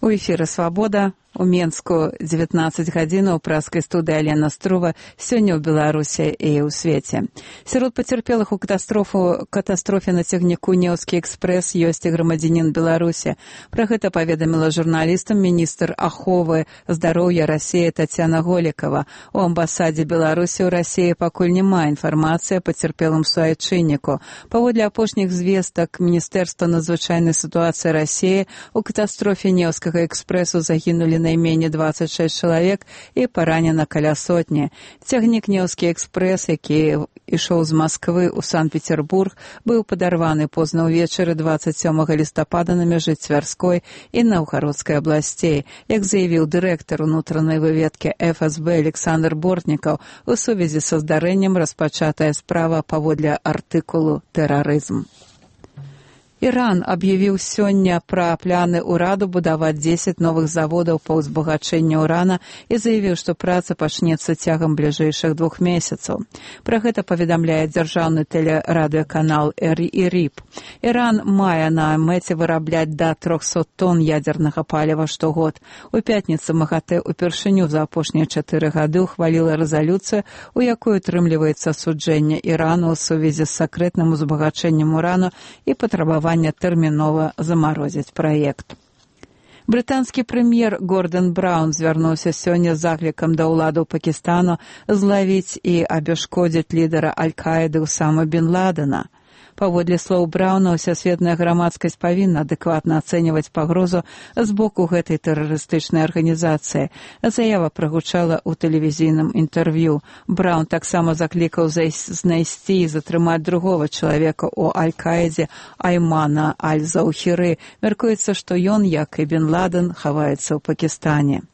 У эфіры «Свабода». У Менску 19 гадзінаў праскай студыі Алена Струва сёння ў Беларусі і ў свеце. Сярод пацярпелых у катастрофе на цягніку «Неўскі экспрэс» ёсць і грамадзянін Беларусі. Пра гэта паведаміла журналістам міністр аховы здароўя Расіі Тацяна Голікава. У амбасадзе Беларусі ў Расіі пакуль няма інфармацыі о пацярпелым суайчынніку. Паводле апошніх звестак Міністэрства надзвычайнай сітуацыі Расіі у катастрофе «Неўскага экспрэсу» загінулі найменей 26 чалавек і паранена каля сотні. Цягнік «Неўскі экспрэс», які ішоў з Масквы ў Санкт-Петербург, быў падарваны позна ўвечары 27 лістапада на мяжы Цвярской і Наўгародскай абласцей. Як заявіў дырэктар унутранай выведкі ФСБ Александр Бортнікаў, у сувязі са здарэннем распачатая справа паводле артыкулу «Тэрарызм». Іран аб'явіў сёння пра планы ўраду будаваць 10 новых заводаў па ўзбагачэнні ўрана і заявіў, што праца пачнецца цягам бліжэйшых 2 месяцаў. Пра гэта паведамляе дзяржаўны тэлерадыёканал ИРИБ. Іран мае на мэце вырабляць да 300 тонн ядзернага паліва штогод. У пятніцу МАГАТЭ упершыню за апошнія 4 гады ухваліла рэзалюцыю, у якой утрымліваецца асуджэнне Ірану ў сувязі з сакрэтным узбагачэннем урану і патрабаваннем тэрмінова замарозіць праект. Брытанскі прэм'ер Гордон Браўн звярнуўся сёння з заклікам да ўладаў Пакістану злавіць і абяшкодзіць лідара Аль-Каіды Усама бен Ладена. Паводле слоў Браўна, усасветная грамадскасць павінна адэкватна ацэньваць пагрозу з боку гэтай тэрарыстычнай арганізацыі. Заява прагучала ў тэлевізійным інтэрв'ю. Браўн таксама заклікаў знайсці і затрымаць другога чалавека ў Аль-Каідзе Аймана Аль-Заўхіры. Мяркуецца, што ён, як і бен Ладен, хаваецца ў Пакістане.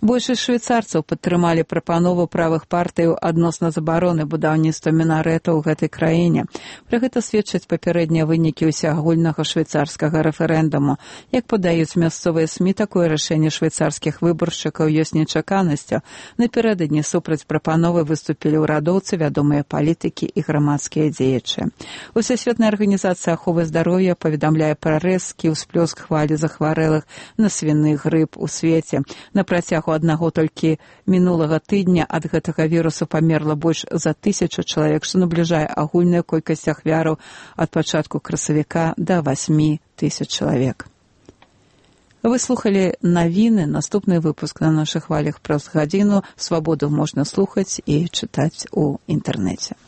Большасць швейцарцаў падтрымалі прапанову правых партыяў адносна забароны будаўніцтва мінарэтаў у гэтай краіне. Пра гэта сведчаць папярэднія вынікі ўсеагульнага швейцарскага рэферэндуму. Як падаюць мясцовыя СМІ, такое рашэнне швейцарскіх выбаршчыкаў ёсць нечаканасцю. Напярэдадні супраць прапановы выступілі ўрадоўцы, вядомыя палітыкі і грамадскія дзеячы. Усесветная арганізацыя аховы здароўя паведамляе пра рэзкі ўсплёск хвалі захварэлых на свіны грып у свеце. На працягу аднаго толькі мінулага тыдня ад гэтага вірусу памерла больш за 1000 чалавек, што набліжае агульную колькасць ахвяраў ад пачатку красавіка да 8000 чалавек. Вы слухалі навіны. Наступны выпуск на нашых хвалях праз гадзіну. Свабоду можна слухаць і чытаць у інтэрнэце.